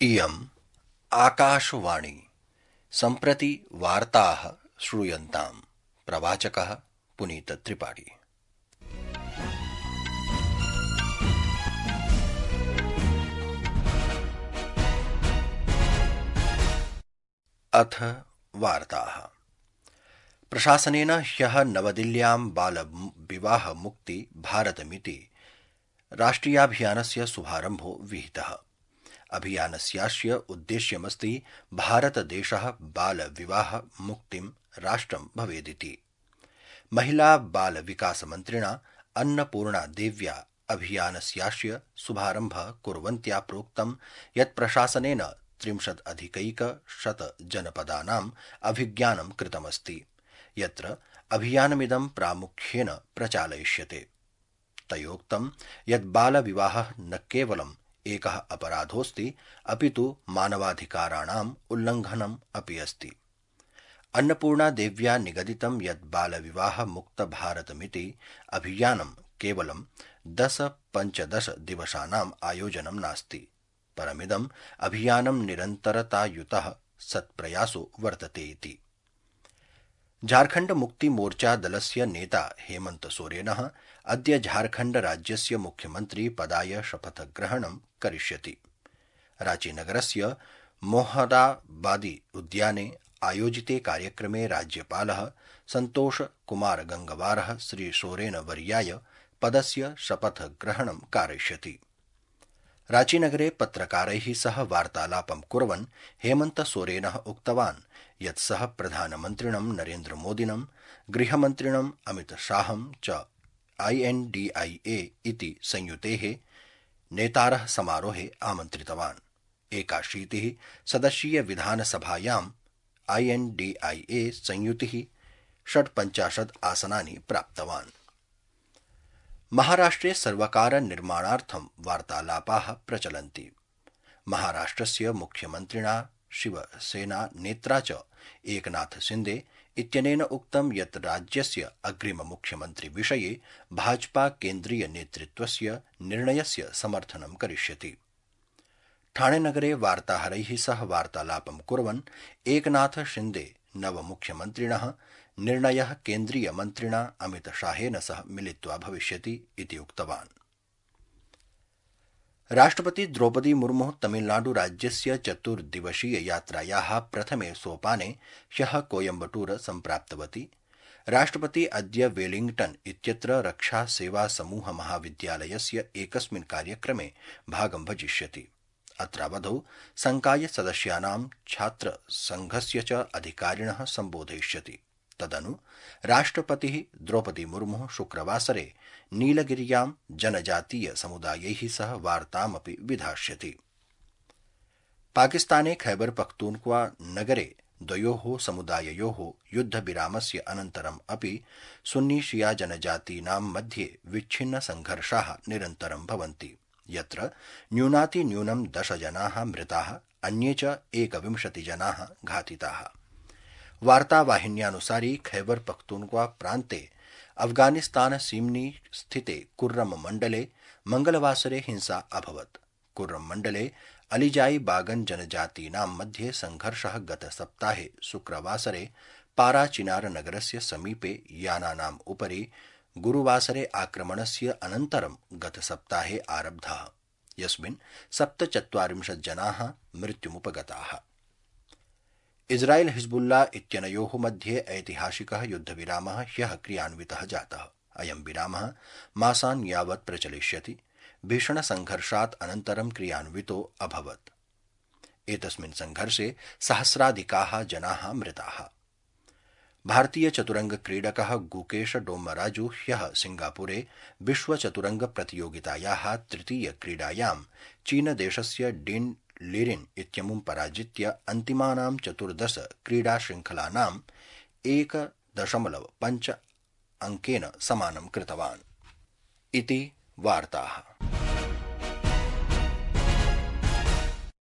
इयम् आकाशवाणी सम्प्रति वार्ताः श्रूयन्ताम्। प्रवाचकः पुनीतत्रिपाठी। अथ वार्ताः। प्रशासनेन ह्यः नवदिल्ल्यां बालविवाहमुक्ति भारतमिति राष्ट्रियाभियानस्य शुभारम्भो विहितः। अभियानस्यास्य उद्देश्यमस्ति भारतदेशः बालविवाहमुक्तिं राष्ट्रं भवेदिति। महिला बालविकासमन्त्रिणा अन्नपूर्णा देव्या अभियानस्यास्य शुभारम्भः कुर्वन्त्या प्रोक्तं यत् प्रशासनेन 30 जनपदानाम् अभिज्ञानं कृतमस्ति, यत्र अभियानमिदं प्रामुख्येन प्रचालयिष्यते। तयोक्तं यत् बालविवाहः न केवलम् एकः अपराधोऽस्ति, अपितु मानवाधिकाराणाम् उल्लङ्घनम् अपि अस्ति। अन्नपूर्णा देव्या निगदितं यत् बालविवाह मुक्त भारतमिति अभियानं केवलं 10-15 दिवसानाम् आयोजनं नास्ति, परमिदम् अभियानं निरन्तरतायुतः सत्प्रयासो वर्तते इति। झारखण्ड मुक्ति मोर्चा दलस्य नेता हेमन्त सोरेनः अद्य झारखण्ड राज्यस्य मुख्यमन्त्री पदाय शपथग्रहणं करिष्यति। रांचीनगरस्य मोहराबादी उद्याने आयोजिते कार्यक्रमे राज्यपालः सन्तोष कुमार गंगवारः श्री सोरेन वर्याय पदस्य शपथग्रहणं कारयिष्यति। रांचीनगरे पत्रकारैः सह वार्तालापं कुर्वन् हेमन्त सोरेनः उक्तवान् यत् सः प्रधानमन्त्रिणं नरेन्द्र मोदिनं, गृहमन्त्रिणं अमित शाहं च INDIA इति संयुतेः नेतारः समारोहे आमन्त्रितवान्। 81 सदस्यीय विधानसभायां INDIA संयुतिः 56 आसनानि प्राप्तवान्। महाराष्ट्रे सर्वकार निर्माणार्थं वार्तालापाः प्रचलन्ति। महाराष्ट्रस्य मुख्यमन्त्रिणा शिवसेना नेत्रा च एकनाथ शिंदे इत्यनेन उक्तं यत् राज्यस्य अग्रिम मुख्यमन्त्री विषये भाजपा केन्द्रीय नेतृत्वस्य निर्णयस्य समर्थनं करिष्यति। ठाणेनगरे वार्ताहरैः सह वार्तालापं कुर्वन् एकनाथ शिंदे नवमुख्यमन्त्रिणः निर्णयः केन्द्रीय मन्त्रिणा अमित शाहेन सह मिलित्वा भविष्यति इति उक्तवान्। राष्ट्रपति द्रौपदी मुर्मुः तमिलनाडु राज्यस्य 4 दिवसीय यात्रायाः प्रथमे सोपाने ह्यः कोयम्बटूर सम्प्राप्तवती। राष्ट्रपति अद्य वेलिंग्टन इत्यत्र रक्षा सेवा समूह महाविद्यालयस्य एकस्मिन् कार्यक्रमे भागं भजिष्यति। अत्रावधौ संकाय सदस्यानां छात्र संघस्य च अधिकारिणः सम्बोधयिष्यति। तदनु राष्ट्रपतिः द्रौपदी मुर्मुः शुक्रवासरे नीलगिर्यां जनजातीय समुदायैः सह वार्तामपि विधास्यति। पाकिस्ताने खैबर पख्तूनख्वा नगरे द्वयोः समुदाययोः युद्धविरामस्य अनन्तरम् अपि सुन्नी शिया जनजातीनां मध्ये विच्छिन्न संघर्षाः निरन्तरं भवन्ति, यत्र न्यूनातिन्यूनं 10 जनाः मृताः, अन्ये च 21 जनाः घातिताः। वार्तावाहिन्यानुसारि खैबर पख्तूनख्वा प्रान्ते अफगानिस्तान सीम्नि स्थिते कुर्रम मण्डले मंगलवासरे हिंसा अभवत्। कुर्रम मण्डले अलिजाई बागन जनजातीनां मध्ये संघर्षः गतसप्ताहे शुक्रवासरे पाराचिनार नगरस्य समीपे यानानाम् उपरि गुरुवासरे आक्रमणस्य अनन्तरं गतसप्ताहे आरब्धः, यस्मिन् 47 जनाः मृत्युमुपगताः। इस्राएल हिजबुल्ला इत्यनयोः मध्ये ऐतिहासिकः युद्धविरामः ह्यः क्रियान्वितः जातः। अयं विरामः मासान् यावत् प्रचलिष्यति। भीषणसंघर्षात् अनन्तरं क्रियान्वितो अभवत्। एतस्मिन् संघर्षे सहस्राधिकाः जनाः मृताः। भारतीयचतुरंग क्रीडकः गुकेश डोम्मराजु ह्यः सिंगापुरे विश्वचतुरंगप्रतियोगितायाः तृतीय क्रीडायां चीनदेशस्य डिन लिरिन इत्यमुं पराजित्य अन्तिमानां 14 क्रीडाशृङ्खलानां 1.5 अङ्केन समानं कृतवान्। इति वार्ताः।